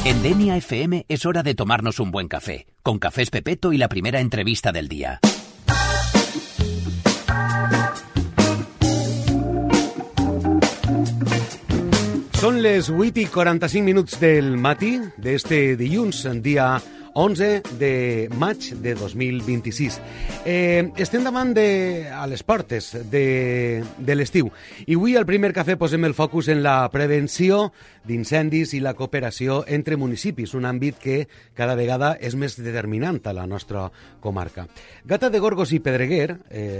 En Denia FM es hora de tomarnos un buen café, con Cafés Pepeto y la primera entrevista del día. Són les 8:45 del matí d'este dilluns, dia 11 de maig de 2026. Estem davant a les portes de l'estiu i avui al primer cafè posem el focus en la prevenció d'incendis i la cooperació entre municipis, un àmbit que cada vegada és més determinant a la nostra comarca. Gata de Gorgos i Pedreguer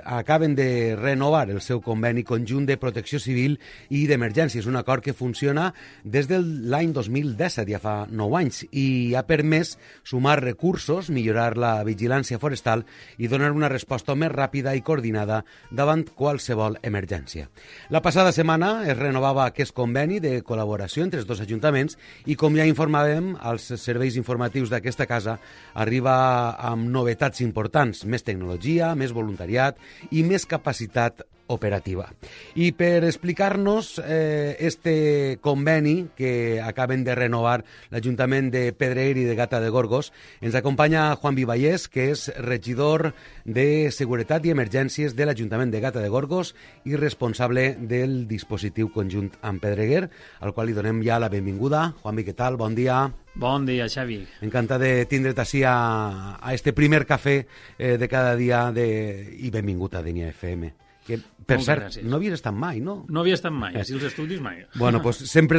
acaben de renovar el seu conveni conjunt de protecció civil i d'emergències, un acord que funciona des de l'any 2017, ja fa 9 anys, i ha permès sumar recursos, millorar la vigilància forestal i donar una resposta més ràpida i coordinada davant qualsevol emergència. La passada setmana es renovava aquest conveni de col·laboració entre els dos ajuntaments i, com ja informàvem, als serveis informatius d'aquesta casa arriba amb novetats importants, més tecnologia, més voluntariat i més capacitat operativa. I per explicar-nos este conveni que acaben de renovar l'Ajuntament de Pedreguer i de Gata de Gorgos, ens acompanya Juan Vivallés, que és regidor de Seguretat i Emergències de l'Ajuntament de Gata de Gorgos i responsable del dispositiu conjunt amb Pedreguer, al qual li donem ja la benvinguda. Juanvi, què tal? Bon dia. Bon dia, Xavi. Encantat de tindre't així a este primer cafè de cada dia i benvingut a Denia FM. Que, per Moltes cert, gràcies. no havies estat mai, no? No havia estat mai, si els estudis mai. Bueno, pues sempre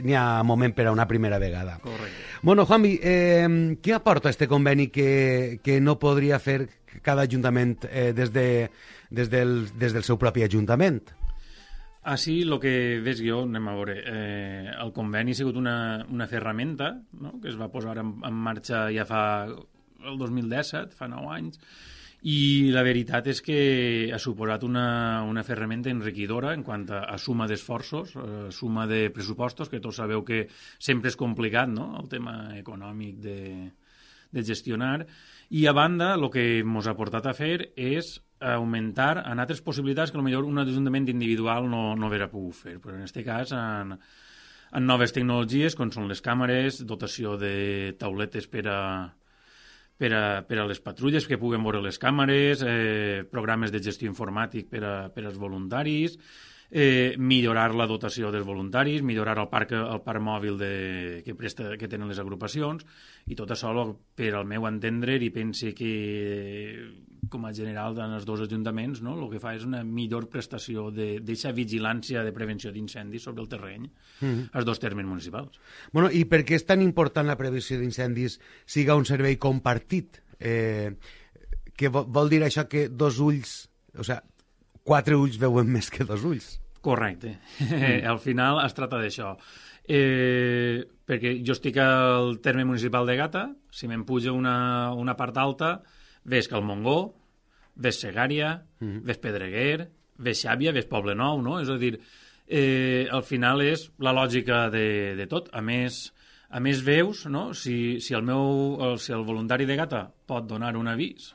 n'hi ha moment per a una primera vegada. Correcte. Bueno, Juanvi, què aporta este conveni que no podria fer cada ajuntament des del seu propi ajuntament? Així, el que ves jo, anem a veure, el conveni ha sigut una ferramenta, no?, que es va posar en marxa ja fa el 2017, fa 9 anys, i la veritat és que ha suposat una ferramenta enriquidora en quant a suma d'esforços, suma de pressupostos, que tots sabeu que sempre és complicat, no?, el tema econòmic de gestionar. I a banda, el que ens ha portat a fer és augmentar en altres possibilitats que potser un ajuntament individual no hauria pogut fer. Però en aquest cas, en noves tecnologies, com són les càmeres, dotació de tauletes per a les patrulles que puguen veure les càmeres, programes de gestió informàtic per als voluntaris, millorar la dotació dels voluntaris, millorar el parc mòbil que tenen les agrupacions, i tot això, per al meu entendre, i pense que com a general en els dos ajuntaments, no, el que fa és una millor prestació d'aquesta vigilància de prevenció d'incendis sobre el terreny als dos termes municipals. Bueno, i per què és tan important la prevenció d'incendis siga un servei compartit? Que vol dir això que dos ulls, o sigui, 4 ulls veuen més que 2 ulls? Correcte. Al final es tracta d'això. Perquè jo estic al terme municipal de Gata, si me'n puja una part alta, ves Calmongó, ves Segària, ves Pedreguer, ves Xàbia, ves Poble Nou, no? És a dir, al final és la lògica de tot. A més veus, no?, si el voluntari de Gata pot donar un avís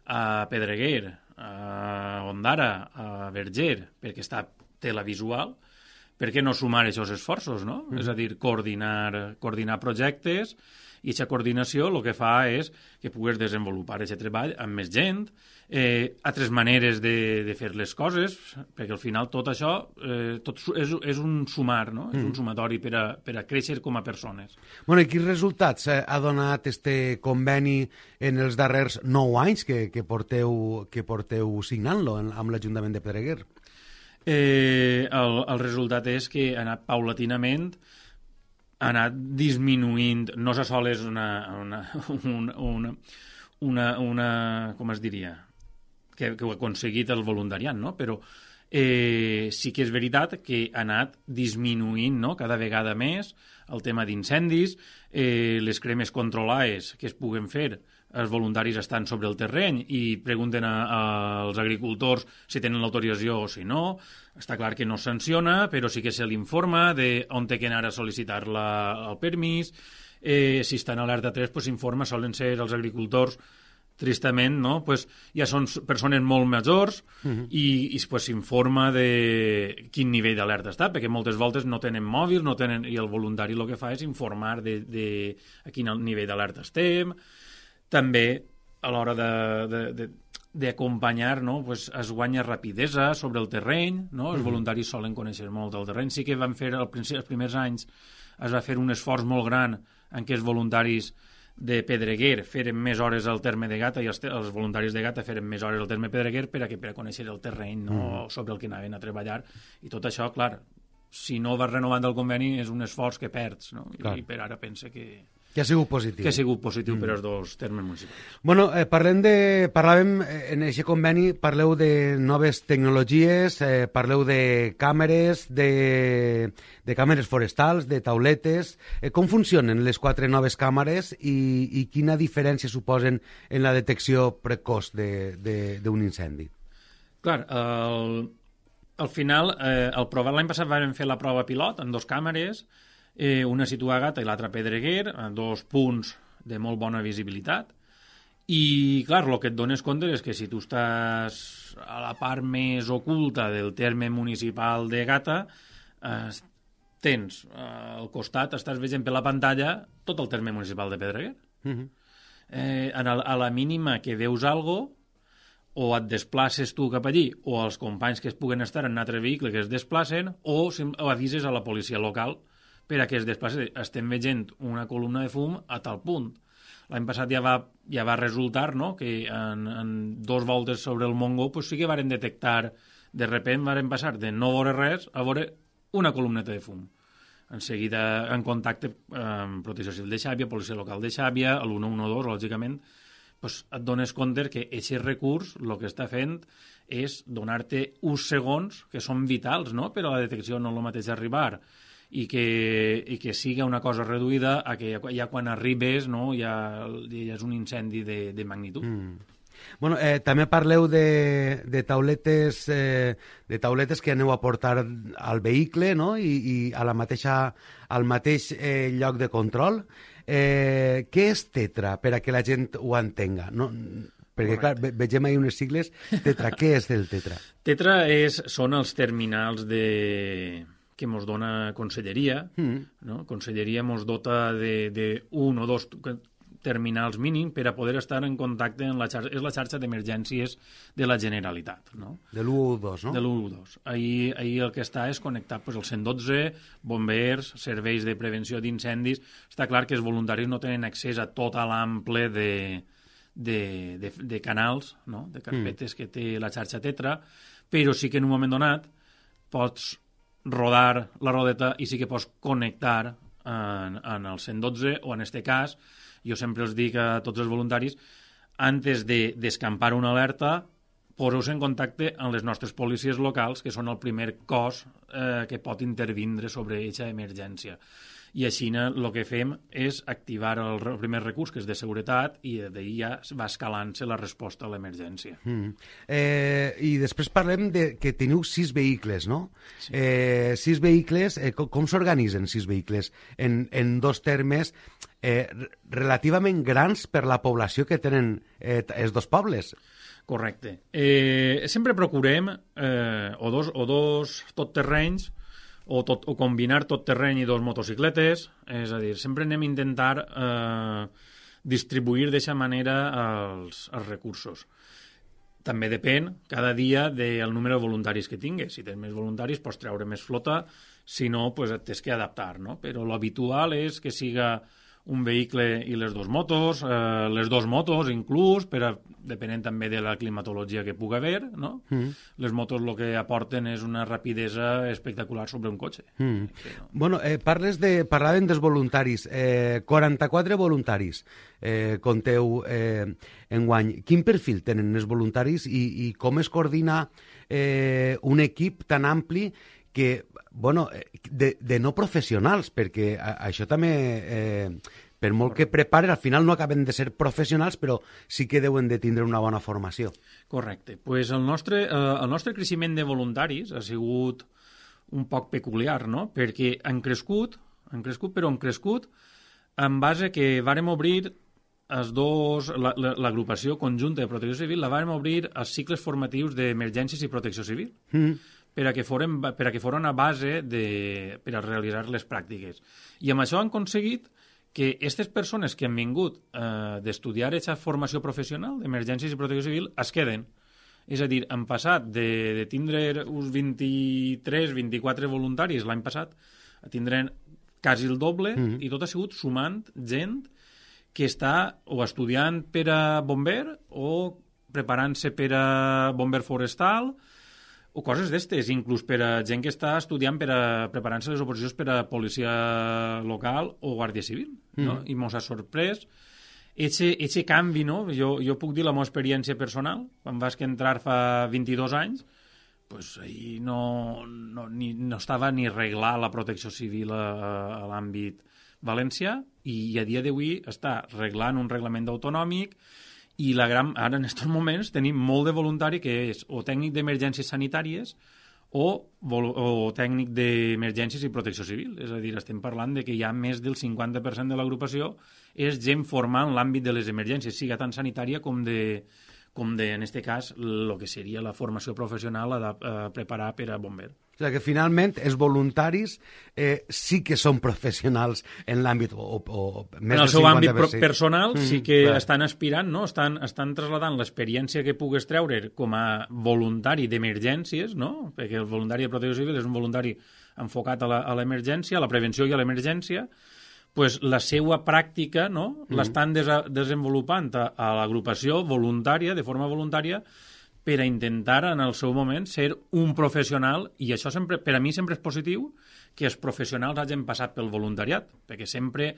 a Pedreguer, a Ondara, a Verger, perquè té la visual, per què no sumar aquests esforços, no? És a dir, coordinar projectes, i aquesta coordinació el que fa és que pugues desenvolupar aquest treball amb més gent, altres maneres de fer les coses, perquè al final tot això tot és un sumar, no? És un sumatori per a créixer com a persones. Bueno, i quins resultats ha donat este conveni en els darrers 9 anys que porteu signant-lo amb l'Ajuntament de Pedreguer? El resultat és que ha anat paulatinament, ha anat disminuint, no se sol és una com es diria, que ho ha aconseguit el voluntariat, no? Però sí que és veritat que ha anat disminuint, no?, cada vegada més el tema d'incendis, les cremes controlades que es puguen fer, els voluntaris estan sobre el terreny i pregunten als agricultors si tenen l'autorització o si no. Està clar que no es sanciona, però sí que se l'informa d'on té que anar a sol·licitar el permís. Si està en alerta 3, s'informa, solen ser els agricultors tristament, no? Pues, ja són persones molt majors i pues, s'informa de quin nivell d'alerta està, perquè moltes voltes no tenen mòbil, i el voluntari el que fa és informar de a quin nivell d'alerta estem. També, a l'hora d'acompanyar, no? Pues, es guanya rapidesa sobre el terreny, no? Els voluntaris solen conèixer molt el terreny. Sí que van fer, els primers anys, es va fer un esforç molt gran en què els voluntaris de Pedreguer feren més hores al terme de Gata i els voluntaris de Gata feren més hores al terme Pedreguer per a conèixer el terreny, no? Sobre el que anaven a treballar. I tot això, clar, si no vas renovant el conveni és un esforç que perds, no? I per ara pense que ha sigut positiu. Que ha sigut positiu per als dos termes municipals. Bueno, parlàvem en aquest conveni, parleu de noves tecnologies, parleu de càmeres, de càmeres forestals, de tauletes. Com funcionen les 4 noves càmeres i quina diferència suposen en la detecció precoç d'un incendi? Clar, al final, l'any passat vam fer la prova pilot amb 2 càmeres, una situada a Gata i l'altra a Pedreguer, a 2 punts de molt bona visibilitat, i clar, el que et dones compte és que si tu estàs a la part més oculta del terme municipal de Gata, tens al costat, estàs veient per la pantalla tot el terme municipal de Pedreguer. A la mínima que veus alguna cosa, o et desplaces tu cap allí, o els companys que es puguen estar en un altre vehicle que es desplacen, o avises a la policia local per a que es desplaci. Estem veient una columna de fum a tal punt. L'any passat ja va resultar, no?, que en 2 voltes sobre el Montgó pues sí que varen detectar, de repent varen passar de no veure res a veure una columneta de fum. En seguida, en contacte amb Protecció Civil de Xàbia, Policia Local de Xàbia, el 112, lògicament, pues et dones compte que aquest recurs el que està fent és donar-te uns segons que són vitals, no?, per a la detecció, no el mateix arribar i que siga una cosa reduïda a que ja quan arribes, no, ja és un incendi de magnitud. Bueno, també parleu de tauletes que aneu a portar al vehicle, no?, i al mateix lloc de control. Què és Tetra, per a que la gent ho entenga? No? Perquè, clar, vegem ahir unes sigles. Tetra, què és el Tetra? Tetra són els terminals que ens dona Conselleria. No? Conselleria ens dota d'un o 2 terminals mínim per a poder estar en contacte amb la xarxa. És la xarxa d'emergències de la Generalitat. No? De l'112, no? De l'112. Ahir el que està és connectar el 112, bombers, serveis de prevenció d'incendis. Està clar que els voluntaris no tenen accés a tot l'ample de canals, no?, de carpetes que té la xarxa Tetra, però sí que en un moment donat pots rodar la rodeta i sí que pots connectar en el 112 o en este cas, jo sempre els dic a tots els voluntaris, antes d'escampar una alerta, poseu-vos en contacte amb les nostres policies locals, que són el primer cos que pot intervindre sobre aquesta emergència. I així el que fem és activar el primer recurs, que és de seguretat, i d'ahir ja va escalant-se la resposta a l'emergència. I després parlem que teniu 6 vehicles, no? Sí. 6 vehicles, com s'organitzen 6 vehicles? En 2 termes relativament grans per la població que tenen els 2 pobles. Correcte. Sempre procurem o dos totterrenys, o combinar tot terreny i 2 motocicletes, és a dir, sempre anem a intentar distribuir d'aquesta manera els recursos. També depèn cada dia del número de voluntaris que tingues. Si tens més voluntaris pots treure més flota, si no, pues et tens que adaptar, no? Però l'habitual és que siga un vehicle i les 2 motos, les 2 motos inclús, depenent també de la climatologia que pugui haver, no? Les motos el que aporten és una rapidesa espectacular sobre un cotxe. Bueno, parlàvem dels voluntaris. 44 voluntaris compteu enguany. Quin perfil tenen els voluntaris i com es coordina un equip tan ampli que, bueno, de no professionals, perquè això també, per molt que preparen, al final no acaben de ser professionals, però sí que deuen de tindre una bona formació. Correcte. Pues el nostre creixement de voluntaris ha sigut un poc peculiar, no? Perquè han crescut en base que vàrem obrir l'agrupació conjunta de protecció civil la vam obrir als cicles formatius d'emergències i protecció civil per a que foren a base per a realitzar les pràctiques. I amb això han aconseguit que aquestes persones que han vingut d'estudiar aquesta formació professional d'emergències i protecció civil es queden. És a dir, han passat de tindre uns 23-24 voluntaris l'any passat a tindre quasi el doble i tot ha sigut sumant gent que està o estudiant per a bomber o preparant-se per a bomber forestal o coses d'estes, inclús per a gent que està estudiant per a preparant-se les oposicions per a policia local o guàrdia civil, no? I mos ha sorprès eixe canvi, no? Jo puc dir la meva experiència personal, quan vaig entrar fa 22 anys, pues ahir no estava ni arreglar la protecció civil a l'àmbit valencià i a dia d'avui està arreglant un reglament autonòmic i ara en aquests moments tenim molt de voluntari que és o tècnic d'emergències sanitàries o tècnic d'emergències i protecció civil. És a dir, estem parlant de que hi ha més del 50% de l'agrupació és gent formant l'àmbit de les emergències, siga tant sanitària com en este cas, el que seria la formació professional a preparar per a bomber. O sigui que finalment els voluntaris sí que són professionals en l'àmbit en el seu àmbit personal sí que estan aspirant, no? Estan trasladant l'experiència que pugues treure com a voluntari d'emergències, no? Perquè el voluntari de protecció civil és un voluntari enfocat a l'emergència, a la prevenció i a l'emergència, pues la seva pràctica, no? L'estan desenvolupant a l'agrupació voluntària, de forma voluntària, per a intentar en el seu moment ser un professional, i això sempre, per a mi sempre és positiu que els professionals hagin passat pel voluntariat, perquè sempre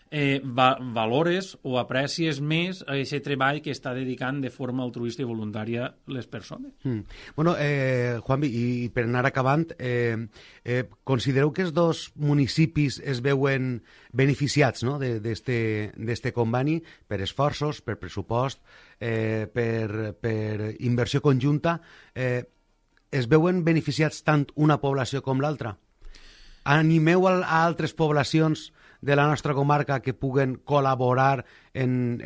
valores o aprecies més a aquest treball que està dedicant de forma altruista i voluntària les persones. Bueno, Juanvi, i per anar acabant, considereu que els dos municipis es veuen beneficiats, no?, d'este conveni per esforços, per pressupost, per inversió conjunta, es veuen beneficiats tant una població com l'altra? Animeu a altres poblacions de la nostra comarca que puguen col·laborar en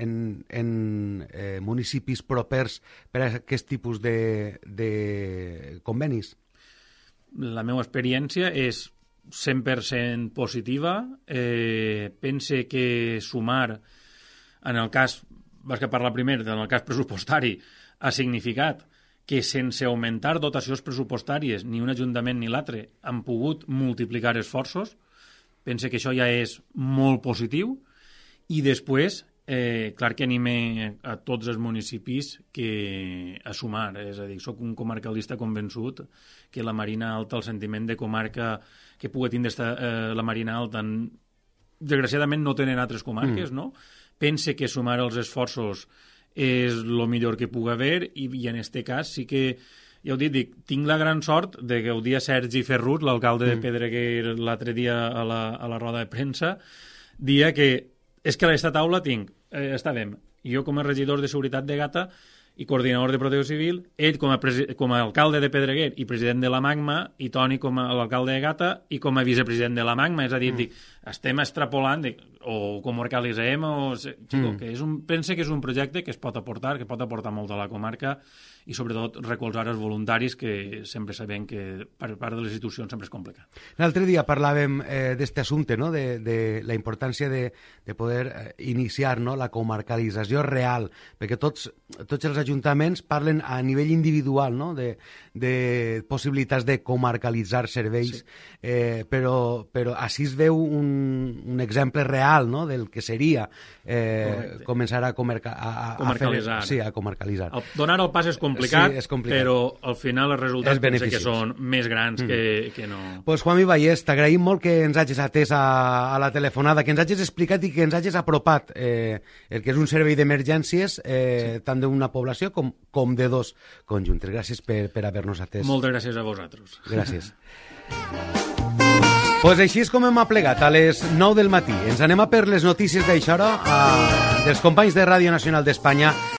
municipis propers per a aquest tipus de convenis? La meva experiència és 100% positiva. Pense que sumar, en el cas, vaig parlar primer, en el cas pressupostari, ha significat que sense augmentar dotacions pressupostàries ni un ajuntament ni l'altre han pogut multiplicar esforços. Pense que això ja és molt positiu i després, clar que anime a tots els municipis a sumar, és a dir, soc un comarcalista convençut que la Marina Alta, el sentiment de comarca que pugui tindre la Marina Alta, desgraciadament no tenen altres comarques, no? Pense que sumar els esforços és el millor que pugui haver i en aquest cas sí que ja ho dic, tinc la gran sort de gaudir a Sergi Ferrut, l'alcalde de Pedreguer, l'altre dia a la roda de premsa, dia que és que a aquesta taula tinc, estàvem, jo com a regidor de Seguretat de Gata i coordinador de Protecció Civil, ell com a alcalde de Pedreguer i president de la Magma, i Toni com a l'alcalde de Gata i com a vicepresident de la Magma, és a dir, estem extrapolant, o comarcalitzem, pense que és un projecte que es pot aportar, que pot aportar molt a la comarca i sobretot recolzar els voluntaris, que sempre sabem que per part de les institucions sempre és complicat. L'altre dia parlàvem d'aquest assumpte, no?, de la importància de poder iniciar, no?, la comarcalització real, perquè tots els ajuntaments parlen a nivell individual, no?, de possibilitats de comarcalitzar serveis, però així es veu un exemple real, no?, del que seria començar a comarcalitzar. A comarcalitzar. Donar el pas és complicat, però al final els resultats penso que són més grans que no. Pues Juanvi Vallès, t'agraïm molt que ens hagis atès a la telefonada, que ens hagis explicat i que ens hagis apropat el que és un servei d'emergències, tant d'una població com de dos conjuntes. Gràcies per haver-nos atès. Moltes gràcies a vosaltres. Gràcies. Pues així és com hem aplegat a les 9 del matí. Ens anem a per les notícies d'això hora dels companys de Ràdio Nacional d'Espanya.